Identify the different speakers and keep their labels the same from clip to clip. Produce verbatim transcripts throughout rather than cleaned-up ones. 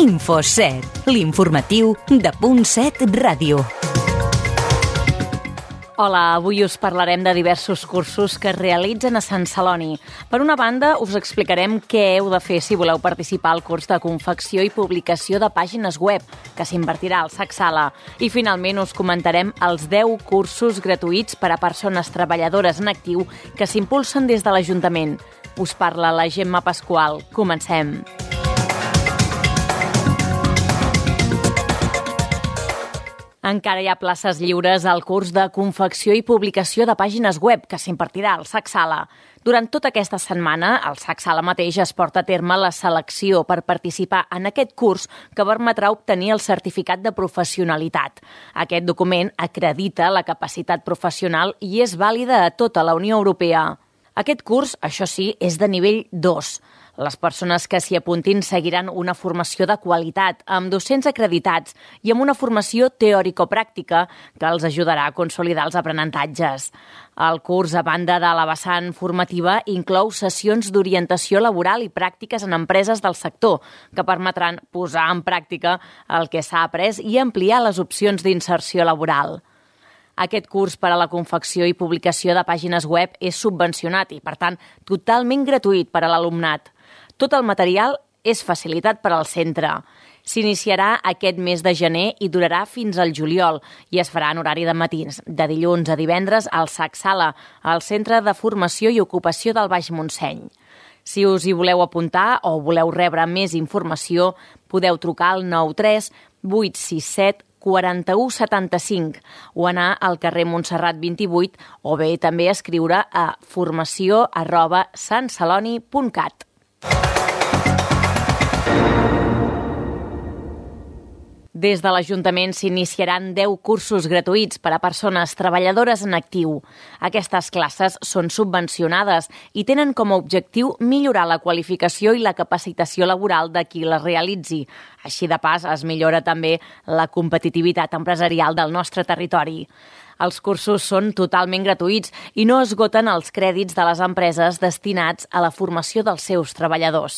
Speaker 1: InfoSet, l'informatiu de Punt set Ràdio.
Speaker 2: Hola, avui us parlarem de diversos cursos que es realitzen a Sant Celoni. Per una banda, us explicarem què heu de fer si voleu participar al curs de confecció i publicació de pàgines web, que s'impartirà al SAC Sala. I finalment us comentarem els deu cursos gratuïts per a persones treballadores en actiu que s'impulsen des de l'Ajuntament. Us parla la Gemma Pasqual. Comencem. Encara hi ha places lliures al curs de confecció i publicació de pàgines web que s'impartirà al SAC Sala. Durant tota aquesta setmana, al SAC Sala mateix es porta a terme la selecció per participar en aquest curs que permetrà obtenir el certificat de professionalitat. Aquest document acredita la capacitat professional i és vàlida a tota la Unió Europea. Aquest curs, això sí, és de nivell dos. Les persones que s'hi apuntin seguiran una formació de qualitat, amb docents acreditats i amb una formació teòrico-pràctica que els ajudarà a consolidar els aprenentatges. El curs, a banda de la vessant formativa, inclou sessions d'orientació laboral i pràctiques en empreses del sector, que permetran posar en pràctica el que s'ha après i ampliar les opcions d'inserció laboral. Aquest curs per a la confecció i publicació de pàgines web és subvencionat i, per tant, totalment gratuït per a l'alumnat. Tot el material és facilitat per al centre. S'iniciarà aquest mes de gener i durarà fins al juliol i es farà en horari de matins, de dilluns a divendres al SAC Sala, al Centre de Formació i Ocupació del Baix Montseny. Si us hi voleu apuntar o voleu rebre més informació, podeu trucar al nou tres vuit sis set quaranta-u setanta-cinc o anar al carrer Montserrat vint-i-vuit o bé també escriure a formació arroba santceloni punt cat. Des de l'Ajuntament s'iniciaran deu cursos gratuïts per a persones treballadores en actiu. Aquestes classes són subvencionades i tenen com a objectiu millorar la qualificació i la capacitació laboral de qui les realitzi. Així de pas es millora també la competitivitat empresarial del nostre territori. Els cursos són totalment gratuïts i no esgoten els crèdits de les empreses destinats a la formació dels seus treballadors.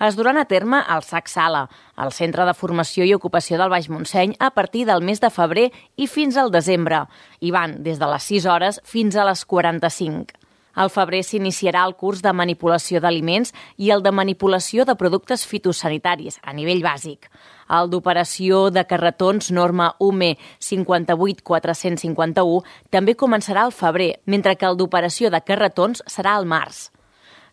Speaker 2: Es duran a terme al SAC Sala, al Centre de Formació i Ocupació del Baix Montseny, a partir del mes de febrer i fins al desembre, i van des de les sis hores fins a les quaranta-cinc. Al febrer s'iniciarà el curs de manipulació d'aliments i el de manipulació de productes fitosanitaris a nivell bàsic. El d'operació de carretons norma U M E cinquanta-vuit quatre-cents cinquanta-u també començarà al febrer, mentre que el d'operació de carretons serà al març.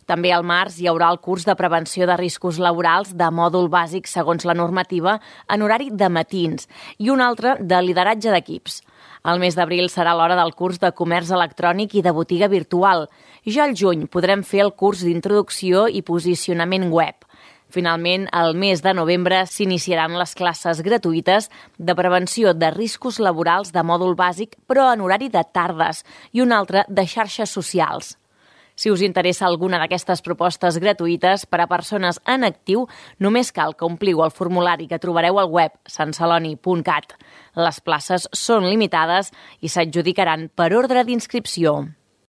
Speaker 2: També al març hi haurà el curs de prevenció de riscos laborals de mòdul bàsic segons la normativa en horari de matins i un altre de lideratge d'equips. El mes d'abril serà l'hora del curs de comerç electrònic i de botiga virtual. Ja al juny podrem fer el curs d'introducció i posicionament web. Finalment, al mes de novembre s'iniciaran les classes gratuïtes de prevenció de riscos laborals de mòdul bàsic, però en horari de tardes, i un altre de xarxes socials. Si us interessa alguna d'aquestes propostes gratuïtes per a persones en actiu, només cal que ompliu el formulari que trobareu al web santceloni punt cat. Les places són limitades i s'adjudicaran per ordre d'inscripció.